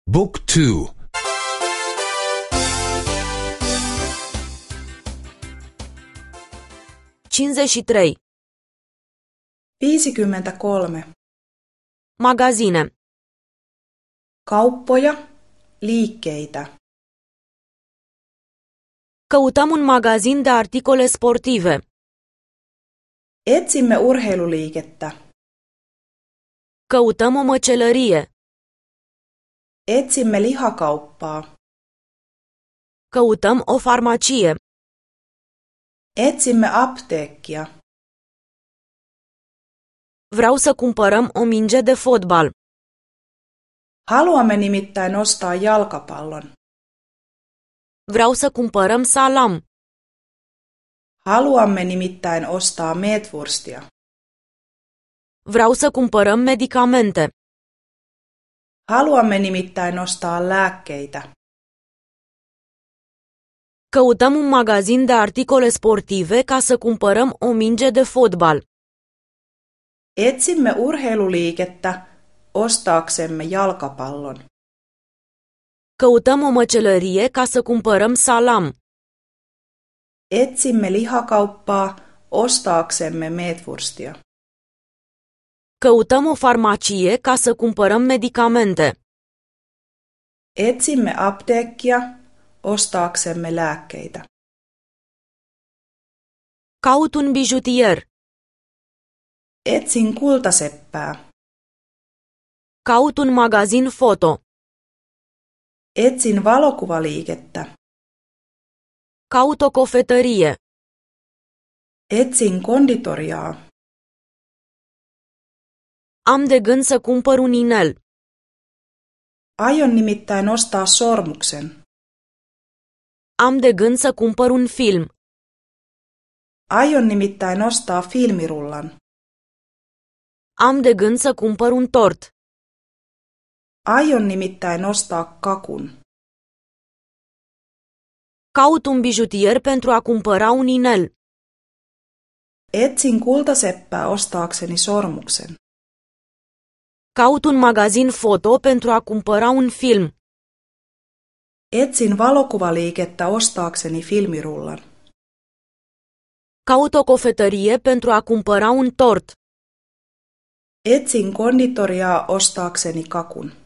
Book 2. 53. 53. Magazine. Kauppoja, liikkeitä. Căutăm un magazin de articole sportive. Etsimme urheiluliikettä. Căutăm o măcelărie. Etsimme lihakauppaa. Căutăm o farmacie. Etsimme apteekkia. Vreau să cumpărăm o minge de fotbal. Haluamme nimittäin ostaa jalkapallon. Vreau să cumpărăm salam. Haluamme nimittäin ostaa meetwurstia. Vreau să cumpărăm medicamente. Haluamme nimittäin ostaa lääkkeitä. Căutăm un magazin de articole sportive ca să cumpărăm o minge de fotbal. Etsimme urheiluliikettä ostaaksemme jalkapallon. Căutăm o măcelărie ca să cumpărăm salam. Etsimme lihakauppaa ostaaksemme meetwurstia. Căutăm o farmacie ca să cumpărăm medicamente. Etsimme apteekkia ostaaksemme lääkkeitä. Caut un bijutier. Etsin kultaseppää. Caut un magazin foto. Etsin valokuvaliikettä. Caut o cofetărie. Etsin konditoriaa. Am de gând să cumpăr un inel. Aion nimittäin ostaa sormuksen. Am de gând să cumpăr un film. Aion nimittäin ostaa filmirullan. Am de gând să cumpăr un tort. Aion nimittäin ostaa kakun. Caut un bijutier pentru a cumpăra un inel. Etsin kultaseppää ostaakseni sormuksen. Caut un magazin foto pentru a cumpăra un film. Etsin valokuvaliikettä ostaakseni filmirullan. Caut o cofetărie pentru a cumpăra un tort. Etsin konditoriaa ostaakseni kakun.